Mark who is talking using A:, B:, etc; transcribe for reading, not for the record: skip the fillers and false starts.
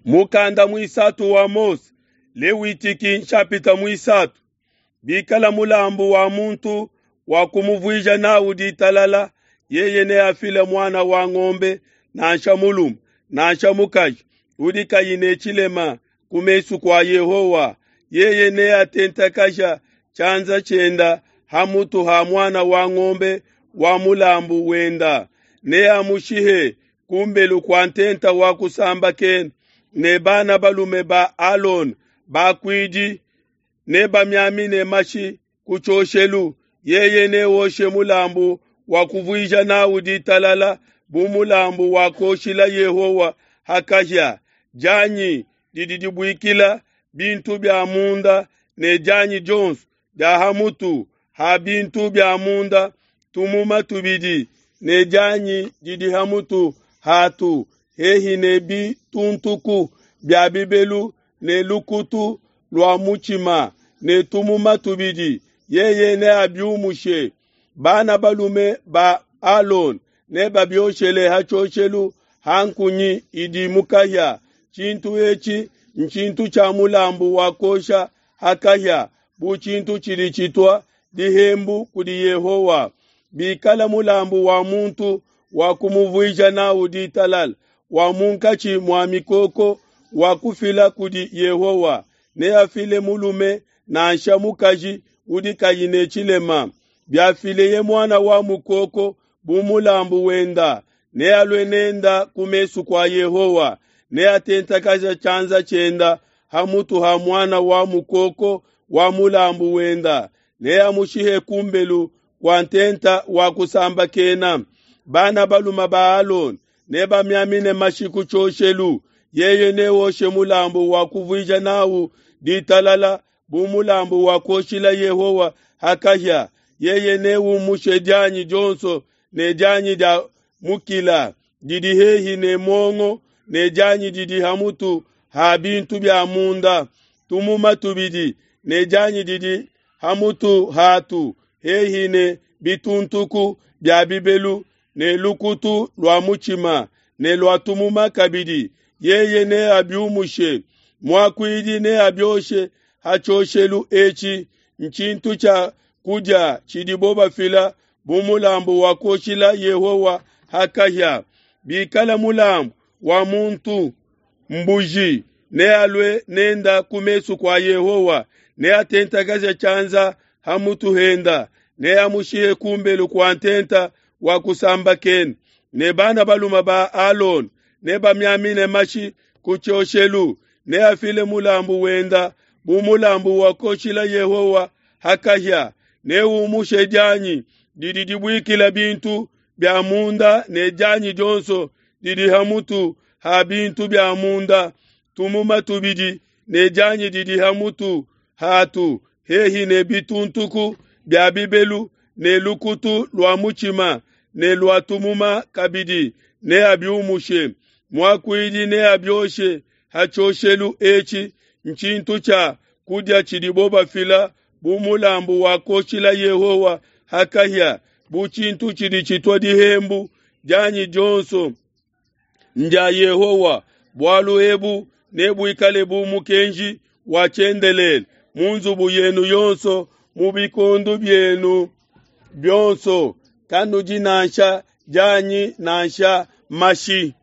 A: Mukanda muisatu wa Mose, Lewitiki nshapita muisatu. Bikala mulambu wa muntu wa kumuvuija nawu ditalala, yeye neafile muana wa ngombe nansha mulume nansha mukaji udi kayi ne tshilema ku mesu kua Yehowa. Yeye neatentakaja tshianza tshienda ha mutu ha muana wa ngombe wa mulambu wenda, neamushihe kumbelu kua ntenta wa kusambakena, ne bana balume ba Alona bakuidi nebamiamine mashi ku tshioshelu. Yeye newoshe mulambu wa kuvuija nawu ditalala bu mulambu wa kuoshila Yehowa ha kahia, dianyi didi dibuikila bintu bia munda ne dianyi dionso dia ha mutu ha bintu bia munda, tumuma tubidi ne dianyi didi ha mutu hatu hehi ne bituntuku bia bibelu ne lukutu lua mutshima ne tumuma tubidi, yeye neabiumushe. Bana balume ba Alona nebabioshele ha tshioshelu ha nkunyi idi mu kahia. Tshintu etshi ntshintu tshia mulambu wa kuosha ha kahia bu tshintu tshidi tshitua dihembu kudi Yehowa. Bikala mulambu wa muntu wa kumuvuija nawu ditalala wa munkatshi mua mikoko wa kufila kudi Yehowa, neafile mulume nansha mukaji udi kayi ne tshilema. Biafileye muana wa mukoko bu mulambu wenda, nealue nenda ku mesu kua Yehowa, neatentakaje tshianza tshienda ha mutu ha muana wa mukoko wa mulambu wenda, neamushihe kumbelu kua ntenta wa kusambakena. Bana balume ba Alona nebamiamine mashi ku tshioshelu, yeye newoshe mulambu wa kuvuija nawu ditalala bu mulambu wa kuoshila Yehowa ha kahia. Yeye neumushe dianyi dionso ne dianyi dia mukila didi hehi ne muongo ne dianyi didi ha mutu ha bintu bia munda, tumuma tubidi ne dianyi didi ha mutu hatu hehi ne bituntuku bia bibelu ne lukutu lua mutshima ne lua tumuma kabidi, yeye neabiumushe. Muakuidi neabioshe ha tshioshelu etshi, ntshintu tshia kudia tshidibo bafila bu mulambu wa kuoshila Yehowa ha kahia. Bikala mulambu wa muntu mbuji, nealue nenda ku mesu kua Yehowa, neatentakaje tshianza ha mutu henda, neamushihe kumbelu kua ntenta wa kusambakena. Ne bana balume ba Alona nebamiamine mashi ku tshioshelu, neafile mulambu wenda bu mulambu wa kuoshila Yehowa ha kahia. Neumushe dianyi didi dibuikila bintu bia munda ne dianyi dionso didi ha mutu ha bintu bia munda, tumuma tubidi ne dianyi didi ha mutu hatu hehi ne bituntuku bia bibelu ne lukutu lua mutshima ne lua tumuma kabidi, neabiumushe. Muakuidi neabioshe ha tshioshelu etshi, ntshintu tshia kudia tshidibo bafila bu mulambu wa kuoshila Yehowa ha kahia, bu tshintu tshidi tshitua dihembu. Dianyi dionso ndia Yehowa. Bualu ebu nebuikale bu mukenji wa tshiendelele mu nzubu yenu yonso mu bikondo bienu bionso, kanudi nansha dianyi nansha mashi.